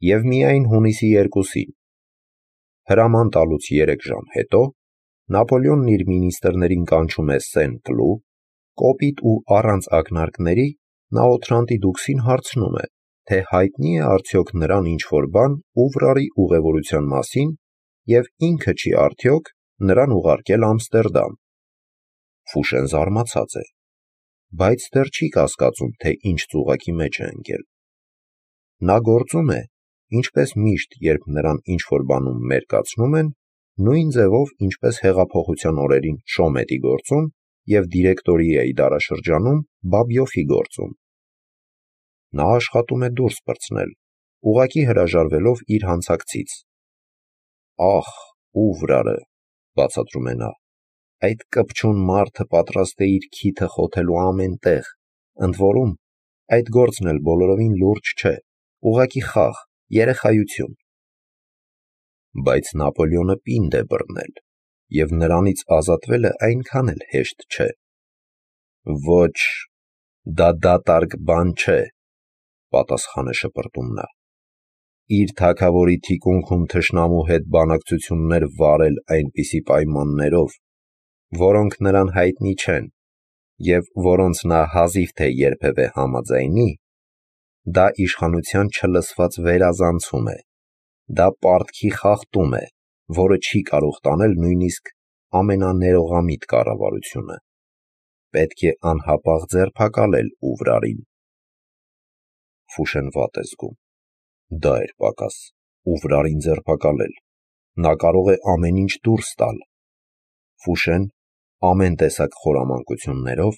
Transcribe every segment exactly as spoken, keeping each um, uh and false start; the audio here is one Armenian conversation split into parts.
և միայն հունիսի երկուսին, հրաման տալուց երեք ժամ հետո, Նապոլեոնն իր մինիստրներին կանչում է Սեն-Կլու, կոպիտ ու առանց ակնարկների նա Օթրանտի դուքսին հարցնում է, թե հայտնի է արդյոք նրան ինչ-որ բան Ուվրարի ուղևորության մասին և ինքը չի արդյոք նրան ուղարկել Ամստերդամ։ Ֆուշեն զարմացած է, բայց դեռ չի կասկածում, թե ինչ ծուղակի մեջ է ընկել։ Նա գործում է, ինչպես միշտ, երբ նրան ինչ-որ բանում մերկացնում են, նույն ձևով, ինչպես հեղափոխության օրերին Շոմետի գործում և դիրեկտորիայի դարաշրջանում Բաբյոֆի գործում։ Նա աշխատում է դուրս պրծնել, ուղղակի հրաժարվելով իր հանցակցից։ «Ախ, Ուվրարը», բացատրում է նա, «այդ կպչուն մարդը պատրաստ է իր քիթը խոթելու ամեն տեղ, ընդ որում, այդ գործն էլ բոլորովին լուրջ չէ, ուղղակի խաղ, երեխայություն»։ Բայց Նապոլեոնը պինդ է բռնել, և նրանից ազատվելը այնքան էլ հեշտ չէ։ «Ոչ, դա դատարկ բան չէ», պատասխան է շպրտում նա։ Իր թագավորի թիկունքում թշնամու հետ բանակցություններ վարել այնպիսի պայմաններով, որոնք նրան հայտնի չեն, և որոնց նա հազիվ թե երբևէ համաձայնի, դա իշխանության չլսված վերազանցում է, դա պարտքի խախտում է, որը չի կարող տանել նույնիսկ ամենաներողամիտ կառավարությունը։ Պետք է անհապաղ ձերբակալել Ուվրարին։ Ֆուշեն վատ է զգում։ Դա էր պակաս, Ուվրարին ձերբակալել։ Նա կարող է ամեն ինչ դուրս տալ։ Ֆուշեն, ամեն տեսակ խորամանկություններով,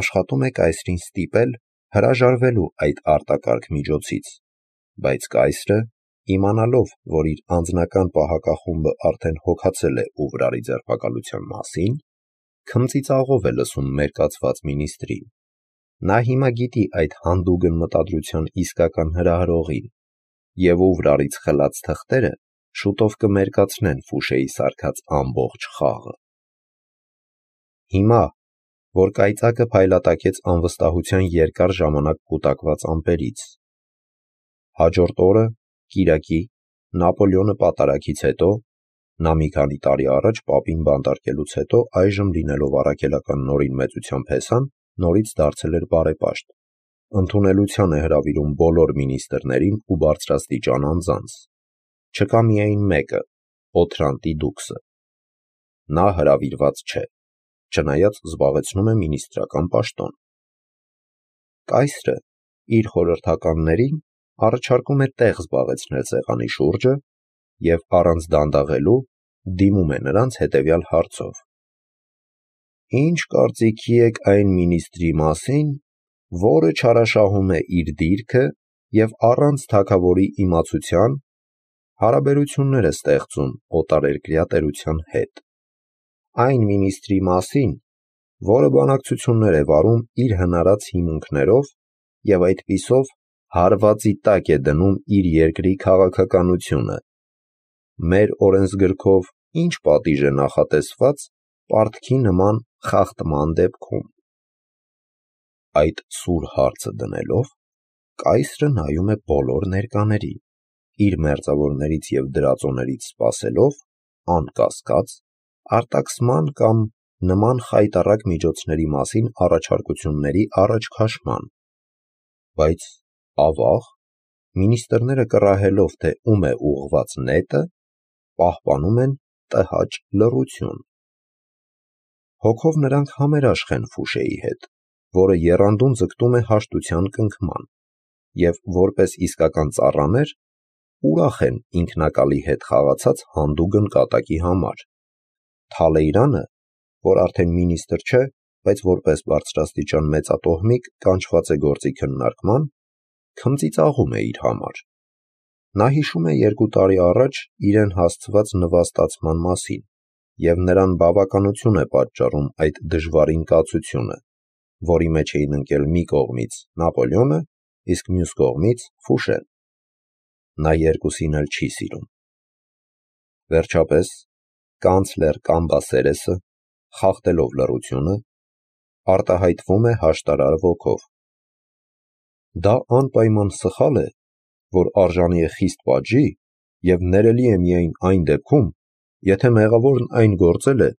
աշխատում է կայսրին ստիպել հրաժարվելու այդ արտակարգ միջոցից, բայց կայսրը, իմանալով, որ իր անձնական պահակախումբը արդեն հոգացել է Ուվրարի ձերբակալության մասին, քմծիծաղով է լսում մերկացված մինիստրին։ Նա հիմա գիտի այդ հանդուգն մտադրության իսկական հրահրողին, և Ուվրարից խլած թղթերը շուտով կմերկացնեն Ֆուշեի սարքած ամբողջ խաղը։ Հիմա, որ կայծակը փայլատակեց անվստահության երկար ժամանակ կուտակված ամպերից։ Հաջորդ օրը, կիրակի, Նապոլեոնը պատարագից հետո, նա մի քանի տարի առաջ պապին բանտարկելուց հետո այժմ լինելով առաքելական Նորին մեծությամբ հեսան, նորից դարձել էր բարեպաշտ, ընդունելության է հրավիրում բոլոր մինիստրներին ու բարձրաստիճան անձանց։ Չկա միայն մեկը՝ Օթրանտի դուքսը։ Նա հրավիրված չէ, չնայած զբաղեցնում է մինիստրական պաշտոն։ Կայսրը իր խորհրդականներին առաջարկում է տեղ զբաղեցնել սեղանի շուրջը և առանց դանդաղելու դիմում է նրանց հետևյալ հարցով. «Ինչ կարծիքի եք այն մինիստրի մասին, որը չարաշահում է իր դիրքը և առանց թագավորի իմացության հարաբերություններ է ստեղծում օտարերկրյա տերության հետ։ Այն մինիստրի մասին, որը բանակցություններ է վարում իր հնարած հիմունքներով և այդպիսով հարվածի տակ է դնում իր երկրի քաղաքականությունը։ Մեր օրենսգրքով ինչ պատիժ է նախատեսված պարտքի նման խախտման դեպքում»։ Այդ սուր հարցը դնելով, կայսրը նայում է բոլոր ներկաներին, իր մերձավորներից և դրածոներից սպասելով, անկասկած, արտաքսման կամ նման խայտառակ միջոցների մասին առաջարկությունների առաջ քաշման։ Բայց, ավաղ, մինիստրները կռահելով, թե ում է ուղղված նետը, պահպանում են տհաճ լռություն։ Հոգով նրանք համերաշխ են Ֆուշեի հետ, որը եռանդուն ձգտում է հաշտության կնքման, և որպես իսկական ծառաներ, ուրախ են ինքնակալի հետ խաղացած հանդուգն կատակի համար։ Թալեյրանը, որ արդեն մինիստր չէ, բայց որպես բարձրաստիճան մեծատոհմիկ կանչված է գործի քննարկման, քմծիծաղում է իր համար։ Նա հիշում է երկու տարի առաջ իրեն հասցված նվաստացման մասին և նրան բավականություն է պատճառում այդ դժվարին կացությունը, որի մեջ էին ընկել մի կողմից Նապոլեոնը, իսկ մյուս կողմից Ֆուշեն։ Նա երկուսին էլ չի սիրում։ Վերջապես, կանցլեր Կամբասերեսը, խախտելով լռությունը, արտահայտվում է հաշտարար ոգով. «Դա անպայման սխալ է, որ արժանի է խիստ պատժի և ներելի է միայն այն դեպքում, եթե մեղավորն այն գործել է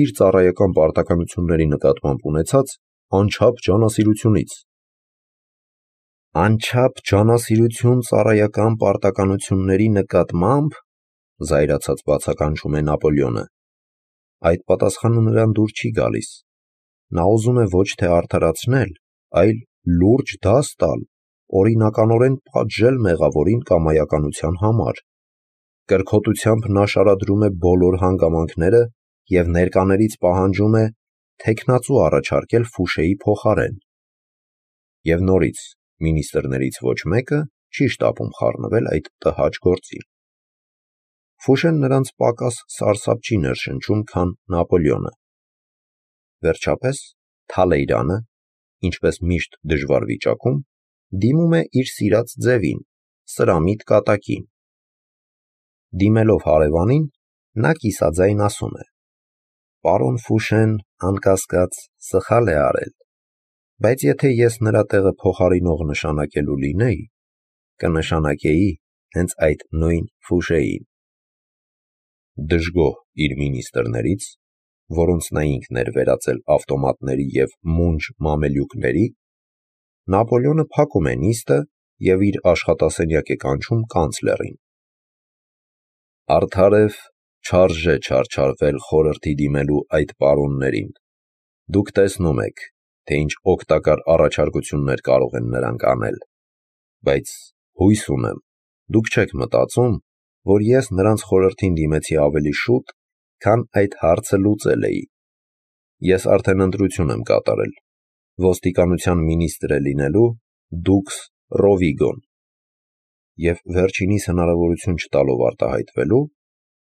իր ծառայական պարտականությունների նկատմամբ ունեցած անչափ ջանասիրությունից։ Անչափ ջանասիրություն ծառայական պարտականությունների նկատմամբ, զայրացած բացականչում է Նապոլեոնը։ Այդ պատասխանը նրան դուր չի գալիս։ Նա ուզում է ոչ թե արդարացնել, այլ լուրջ դաս տալ, օրինականորեն պատժել մեղավորին կամայականության համար։ Կրքոտությամբ նա շարադրում է բոլոր հանգամանքները և ներկաներից պահանջում է թեկնածու առաջարկել Ֆուշեի փոխարեն։ Եվ նորից մինիստրներից ոչ մեկը չի շտապում խառնվել այդ տհաճ գործին։ Ֆուշեն նրանց պակաս սարսափ չի ներշնչում, քան Նապոլեոնը։ Վերջապես Թալեյրանը, ինչպես միշտ դժվար վիճակում, դիմում է իր սիրած ձևին, սրամիտ կատակին։ Դիմելով հարևանին, նա կիսաձայն ասում է. «Պարոն Ֆուշեն, անկասկած, սխալ է արել, բայց եթե ես նրա տեղը փոխարինող նշանակելու լինեի, կնշանակեի հենց այդ նույն Ֆուշեին»։ Դժգոհ իր մինիստրներից, որոնց նա ինքն էր վերածել ավտոմատների և մունջ մամելյուկների, Նապոլեոնը փակում է նիստը և իր աշխատասենյակ է կանչում կանցլերին։ Արդարև չարժե չարչարվել խորհրդի դիմելու այդ պարոններին։ Դուք տեսնում եք, թե ինչ օգտակար առաջարկություններ կարող են նրանք անել, բայց հույս ունեմ, դուք չեք մտածում, որ ես նրանց խորհրդին դիմեցի ավելի շուտ, քան այդ հարցը լուծել էի։ Ես արդեն ընտրություն եմ կատարել, ոստիկանության մինիստրը լինելու դուքս Ռովիգոն, և վերջինիս հնարավորություն չտալով արտահայտվելու,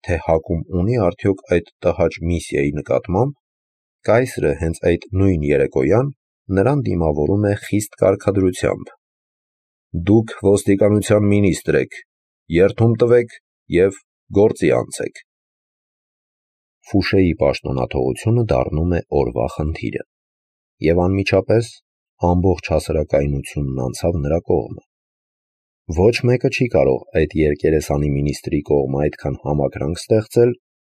թե հակում ունի արդյոք այդ տհաճ միսիայի նկատմամբ, կայսրը հենց այդ նույն երեկոյան նրան դիմավորում է խիստ կարգադրությամբ. «Դուք ոստիկանության մինիստր եք, երդում տվեք և գործի անցեք»։ Ֆուշեի պաշտոնաթողությունը դառնում է օրվա խնդիրը, և անմիջապես ամբողջ հասարակայնությունն անցավ նրա կողմը։ Ոչ մեկը չի կարող այդ երկերեսանի մինիստրի կողմը այդքան համակրանք ստեղծել,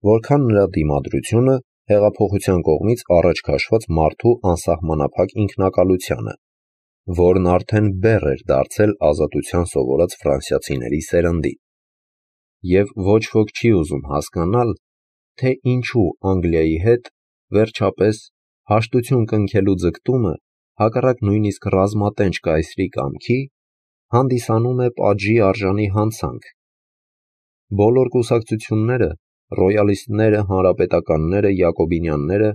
որքան նրա դիմադրությունը հեղափոխության կողմից առաջ քաշված մարդու անսահմանափակ ինքնակալությանը, որն արդեն բեռ էր դարձել ազատության սովորած ֆրանսիացիների սերնդին։ Եվ ոչ ոք չի ուզում հասկանալ, թե ինչու Անգլիայի հետ, վերջապես, հաշտություն կնքելու ձգտումը, հակառակ նույնիսկ ռազմատենչ կայսրի կամքի, հանդիսանում է պատժի արժանի հանցանք։ Բոլոր կուսակցությունները, ռոյալիստները, հանրապետականները, յակոբինյանները,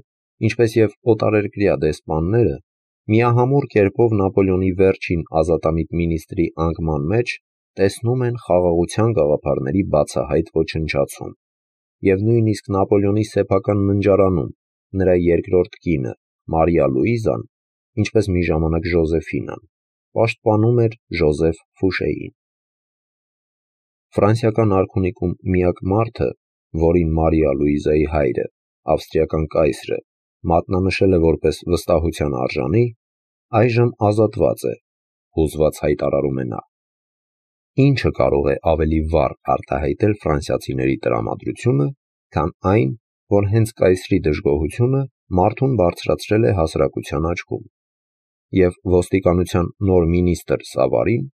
ինչպես և օտարերկրյա դեսպանները, միահամուռ կերպով Նապոլեոնի վերջին ազատամիտ մինիստրի անկման մեջ տեսնում են խաղաղության գաղափարների բացահայտ ոչնչացում, և նույնիսկ Նապոլեոնի սեփական ննջարանում նրա երկրորդ կինը՝ Մարիա Լուիզան, ինչպես մի ժամանակ Ժոզեֆինան, պաշտպանում էր Ժոզեֆ Ֆուշեին։ Ֆրանսիական արքունիքում միակ մարդը, որին Մարիա Լուիզայի հայրը, ավստրիական կայսրը, մատնանշել է որպես վստահության արժանի, այժմ ազատված է, հուզված հայտարարում է նա։ Ի՞նչը կարող է ավելի վառ արտահայտել ֆրանսիացիների տրամադրությունը, քան այն, որ հենց կայսրի դժգոհությունը մարդուն բարձրացրել է հասարակության աչքում։ Եվ ոստիկանության նոր մինիստր Սավարին,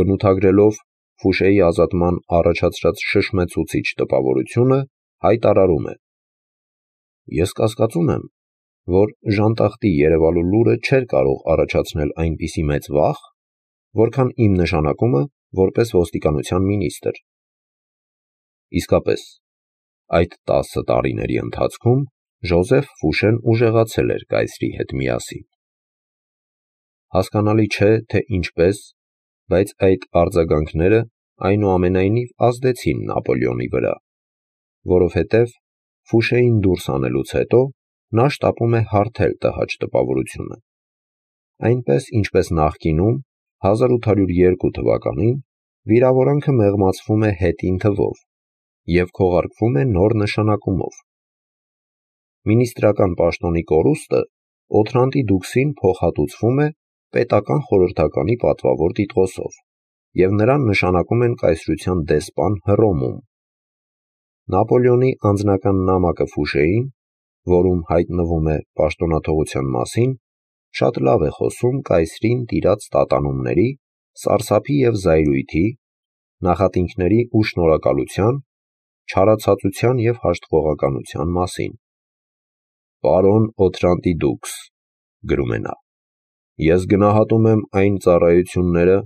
բնութագրելով Ֆուշեի ազատման առաջացրած շշմեցուցիչ տպավորությունը, հայտարարում է. «Ես կասկածում եմ, որ ժանտախտի երևալու լուրը չէր կարող առաջացնել այնպիսի մեծ վախ, որքան իմ նշանակումը որպես ոստիկանության մինիստր»։ Իսկապես, այդ տասը տարիների ընթացքում Ժոզեֆ Ֆուշեն ուժեղացել էր կայսրի հետ միասին։ Հասկանալի չէ, թե ինչպես, բայց այդ արձագանքները այնուամենայնիվ ազդեցին Նապոլեոնի վրա, որովհետև Ֆուշեին դուրս անելուց հետո նա շտապում է հարթել տհաճ տպավորությունը։ Այնպես, ինչպես նախկինում, հազար ութ հարյուր երկու թվականին վիրավորանքը մեղմացվում է հետին թվով և քողարկվում է նոր նշանակումով։ Մինիստրական պաշտոնի կորուստը Օթրանտի դուքսին փոխհատուցվում է պետական խորհրդականի պատվավոր տիտղոսով։ և նրան նշանակում են կայսրության դեսպան Հռոմում։ Նապոլեոնի անձնական նամակը Ֆուշեին, որում հայտնվում է պաշտոնաթողության մասին, շատ լավ է խոսում կայսրին տիրած տատանումների, սարսափի և զայրույթի, նախատինքների ու շնորհակալության, չարացածության և հաշտվողականության մասին։ «Պարոն Օթրանտիդուքս», գրում է նա, «ես գնահատում եմ այն ծառայությունները,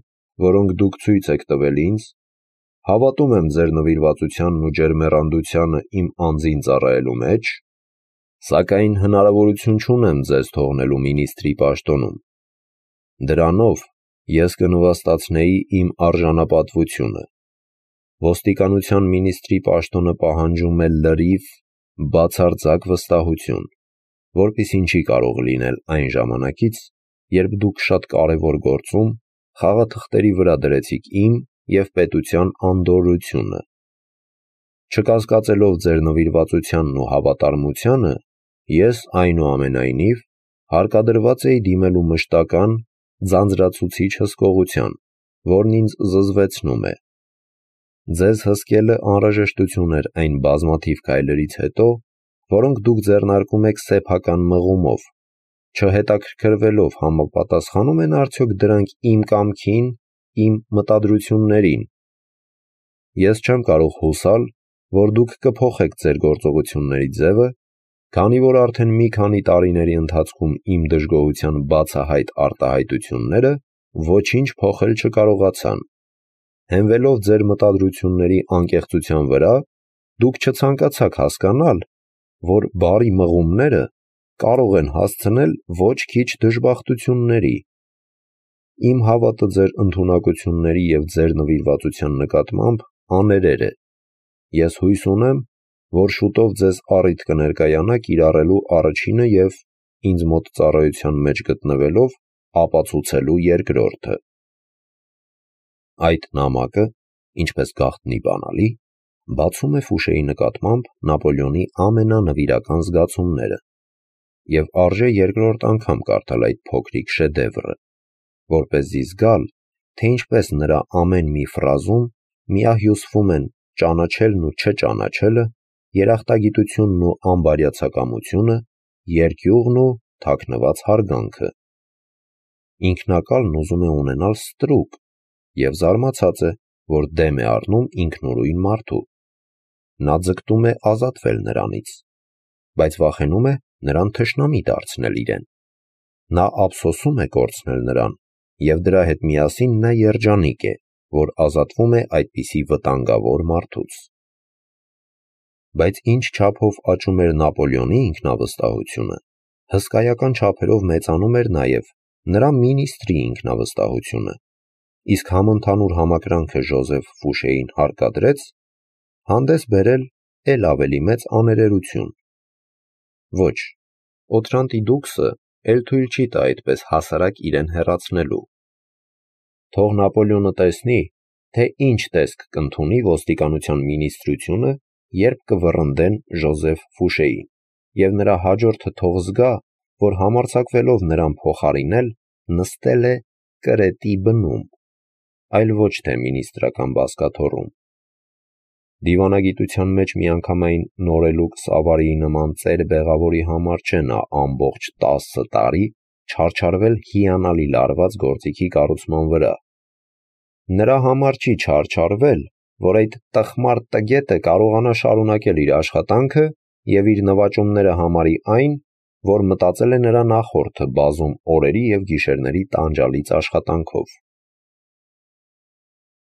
որոնք դուք ցույց եք տվել ինձ, հավատում եմ ձեր նվիրվածությանն ու ջերմեռանդությանը իմ անձին ծառայելու մեջ, սակայն հնարավորություն չունեմ ձեզ թողնելու մինիստրի պաշտոնում։ Դրանով ես կնվաստացնեի իմ արժանապատվությունը։ Ոստիկանության մինիստրի պաշտոնը պահանջում է լրիվ, բացարձակ վստահություն, որպեսզի չի կարող լինել այն ժամանակից, երբ դուք շատ կարևոր գործում խաղաթղթերի վրա դրեցիք իմ և պետության անդորրությունը։ Չկասկածելով ձեր նվիրվածությանն ու հավատարմությանը, ես, այնուամենայնիվ, հարկադրված էի դիմելու մշտական, ձանձրացուցիչ հսկողության, որն ինձ զզվեցնում է։ Ձեզ հսկելը անհրաժեշտություն էր այն բազմաթիվ քայլերից հետո, որոնք դուք ձեռնարկում եք սեփական մղումով, չհետաքրքրվելով համապատասխանում են արդյոք դրանք իմ կամքին, իմ մտադրություններին։ Ես չեմ կարող հուսալ, որ դուք կփոխեք ձեր գործողությունների ձևը, քանի որ արդեն մի քանի տարիների ընթացքում իմ դժգոհության բացահայտ արտահայտությունները ոչինչ փոխել չկարողացան։ Հենվելով ձեր մտադրությունների անկեղծության վրա, դուք չցանկացաք հասկանալ, որ բարի մղումները կարող են հասցնել ոչ քիչ դժբախտությունների։ Իմ հավատը ձեր ընդունակությունների և ձեր նվիրվածության նկատմամբ աներեր է։ Ես հույս ունեմ, որ շուտով ձեզ առիթ կներկայանա կիրառելու առաջինը և, ինձ մոտ ծառայության մեջ գտնվելով, ապացուցելու երկրորդը։ Այդ նամակը, ինչպես գաղտնի բանալի, բացում է Ֆուշեի նկատմամբ Նապոլեոնի ամենանվիրական զգացումները, և արժե երկրորդ անգամ կարդալ այդ փոքրիկ շեդևրը, որպեսզի զգալ, թե ինչպես նրա ամեն մի ֆրազում միահյուսվում են ճանաչելն ու չճանաչելը, երախտագիտությունն ու անբարյացակամությունը, երկյուղն ու թաքնված հարգանքը։ Ինքնակալն ուզում է ունենալ ստրուկ և զարմացած է, որ դեմ է առնում ինքնուրույն մարդու։ Նա ձգտում է ազատվել նրանից, բայց վախենում է նրան թշնամի դարձնել իրեն։ Նա ափսոսում է կորցնել նրան, և դրա հետ միասին նա երջանիկ է, որ ազատվում է այդպիսի վտանգավոր մարդուց։ Բայց ինչ չափով աճում էր Նապոլեոնի ինքնավստահությունը, հսկայական չափերով մեծանում էր նաև նրա մինիստրի ինքնավստահությունը, իսկ համընդհանուր համակրանքը Ժոզեֆ Ֆուշեին հարկադրեց հանդես բերել էլ ավելի մեծ աներերություն։ Ոչ, Օթրանտիդուքսը էլ թույլ չի տա այդպես հասարակ իրեն հեռացնելու։ Թող Նապոլեոնը տեսնի, թե ինչ տեսք կընդունի ոստիկանության մինիստրությունը, երբ կվռնդեն Ժոզեֆ Ֆուշեին, և նրա հաջորդը թող զգա, որ համարձակվելով նրան փոխարինել, նստել է կրետի բնում, այլ ոչ թե մինիստրական բազկաթոռում։ Դիվանագիտության մեջ միանգամայն նորելուկ Սավարիի նման ծեր-բեղավորի համար չէ նա ամբողջ տասը տարի չարչարվել հիանալի լարված գործիքի կառուցման վրա։ Նրա համար չի չարչարվել, որ այդ տխմար տգետը կարողանա շարունակել իր աշխատանքը և իր նվաճումները համարի այն, որ մտածել է նրա նախորդը բազում օրերի և գիշերների տանջալից աշխատանքով։